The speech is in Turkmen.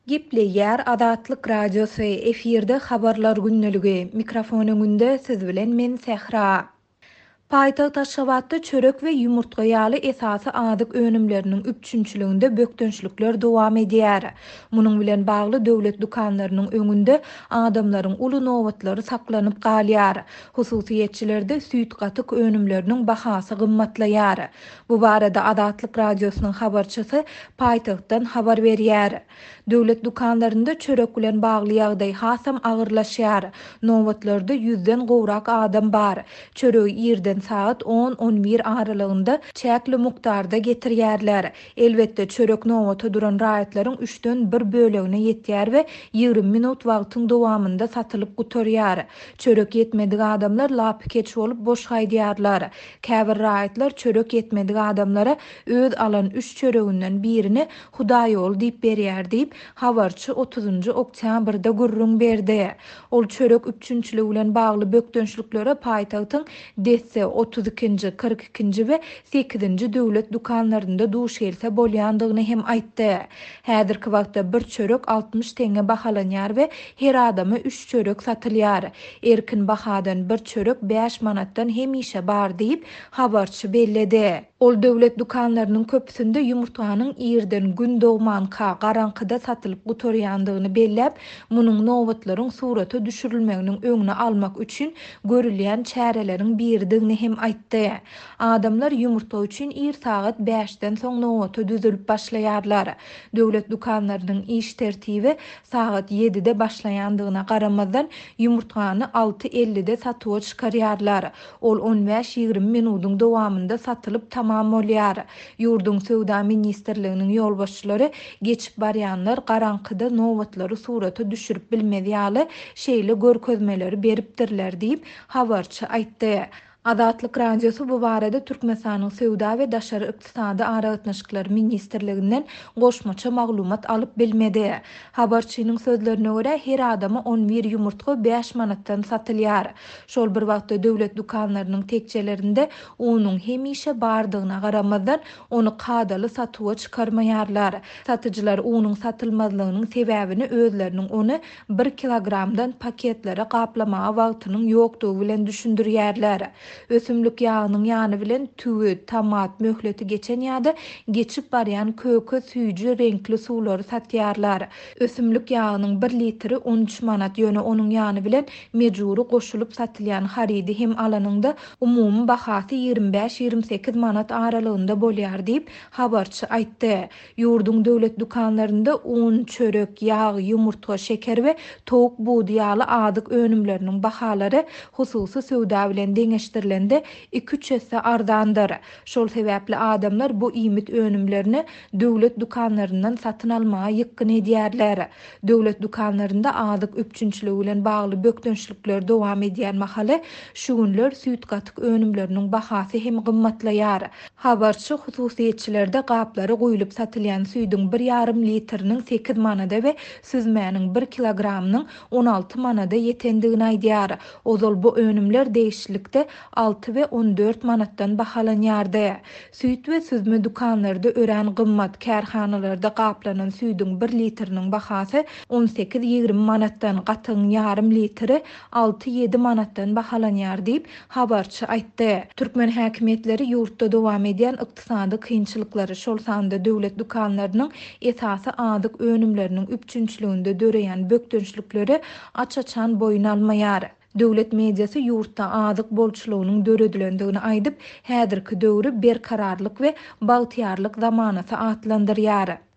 Gepleýär Azatlyk Radiosy, efirde Habarlar gündeligi, mikrofon öňünde siz bilen men Sähra. Paýtagt Aşgabatda çörek we ýumurtga ýaly esasy azyk önümleriniň üpjünçiliginde bökdençlikler dowam edýär. Munuň bilen bagly döwlet dükanlarynyň öňünde adamlaryň uly nobatlary saklanyp galýar. Hususyýetçilerde süýt-gatyk önümleriniň bahasy gymmatlaýar. Bu barada Azatlyk Radiosynyň habarçysy paýtagtdan habar berýär. Döwlet dükanlarynda çörek bilen bagly ýagdaý hasam agyrlaşýar. Nobatlarda ýüzden gowrak adam bar. Çöregi irden sagat on, on bir aralygynda çäkli mukdarda getirýärler. Elbetde, çörek nobata duran raýatlaryň üçden bir bölegine ýetýär we 20 minut wagtyň dowamynda satylyp gutarýar. Çörek ýetmedik adamlar lapykeç bolup boş gaýdýarlar. Käbir raýatlar çörek ýetmedik adamlara öz alan üç çöreginden birini Hudaýýoly diýip berýär diýip, habarçy otuzynjy oktýabrda gürrüň berdi. Ol çörek üpjünçiligi bilen bagly bökdençliklere paýtagtyň Desse, otuz ikinji, 42-nji we sekizinji döwlet dükanlarynda duş gelse bolýandygyny hem aýtdy. Häzirki wagtda bir çörek 60 teňňe bahalanýar we her adama üç çörek satylýar. Erkin bahadan bir çörek bäş manatdan hemişe bar diýip, habarçy belledi. Ol döwlet dükanlarynyň köpüsinde ýumurtganyň irden Gün dogmanka, garaňkyda satylyp gutarýandygyny belläp, munuň nobatlaryň surata düşürilmeginiň öňüni almak üçin görülýän çäreleriň biridigini hem aýtdy. Adamlar ýumurtga üçin ir sagat bäşden soň nobata düzülip başlaýarlar. Döwlet dükanlarynyň iş tertibi sagat ýedide başlaýandygyna garamazdan, ýumurtgany alty ellide satuwa çykarýarlar. Ol on bäş-ýigrimi minudyň dowamynda satylyp tamam bolýar. Ýurduň Söwda ministrliginiň ýolbaşçylary geçip barýanlar garaňkyda nobatlary surata düşürip bilmez ýaly şeýle görkezmeleri beripdirler diýip, habarçy aýtdy. Azatlyk Radiosy bu barada Türkmenistanyň Söwda we daşary ykdysady aragatnaşyklar ministrliginden goşmaça maglumat alyp bilmedi. Habarçynyň sözlerine görä, her adama on bir ýumurtga bäş manatdan satylýar. Şol bir wagtda döwlet dükanlarynyň tekjelerinde unuň hemişe bardygyna garamazdan, ony kadaly satuwa çykarmaýarlar. Satyjylar unuň satylmazlygynyň sebäbini özleriniň ony bir kilogramdan paketlere gaplamaga wagtynyň ýokdugy bilen düşündirýärler. Ösümlik ýagynyň ýany bilen tüwi, tomat, möhleti geçen ýa-da geçip barýan köke, süýji reňkli suwlary satýarlar. Ösümlik ýagynyň bir litri 13 manat, ýöne onuň ýany bilen mejbury goşulyp satylýan harydy hem alanyňda umumy bahasy 25-28 manat aralygynda bolýar diýip, habarçy aýtdy. Ýurduň döwlet dükanlarynda un, çörek, ýag, ýumurtga, şeker we towuk budy ýaly azyk önümleriniň bahalary hususy söwda bilen deňeşdirilende iki-üç esse arzandyr. Şol sebäpli adamlar bu iýmit önümlerini döwlet dükanlaryndan satyn almaga ýykgyn edýärler. Döwlet dükanlarynda azyk üpjünçiligi bilen bagly bökdençlikler dowam edýän mahaly, şu günler süýt-gatyk önümleriniň bahasy hem gymmatlaýar. Habarçy hususyýetçilerde gaplara guýlup satylýan süýdüň bir ýarym litriniň sekiz manada we süzmäniň bir kilogramynyň 16 manada ýetendigini aýdýar. Ozal bu önümler degişlilikde alty we 14 manatdan bahalanýardy. Süýt we süzme dükanlarda örän gymmat, kärhanalarda gaplanan süýdüň bir litriniň bahasy on sekiz-ýigrimi manatdan, gatygyň ýarym litri alty-ýedi manatdan bahalanýar diýip, habarçy aýtdy. Türkmen häkimiýetleri ýurtda dowam edýän ykdysady kynçylyklary, şol sanda döwlet dükanlarynyň esasy azyk önümleriniň üpjünçiliginde döreýän bökdençlikleri aç-açan boýun almaýar. Döwlet mediasy ýurtda azyk bolçulygynyň döredilendigini aýdyp, häzirki döwri berkararlyk we bagtyýarlyk zamanasy atlandyrýar.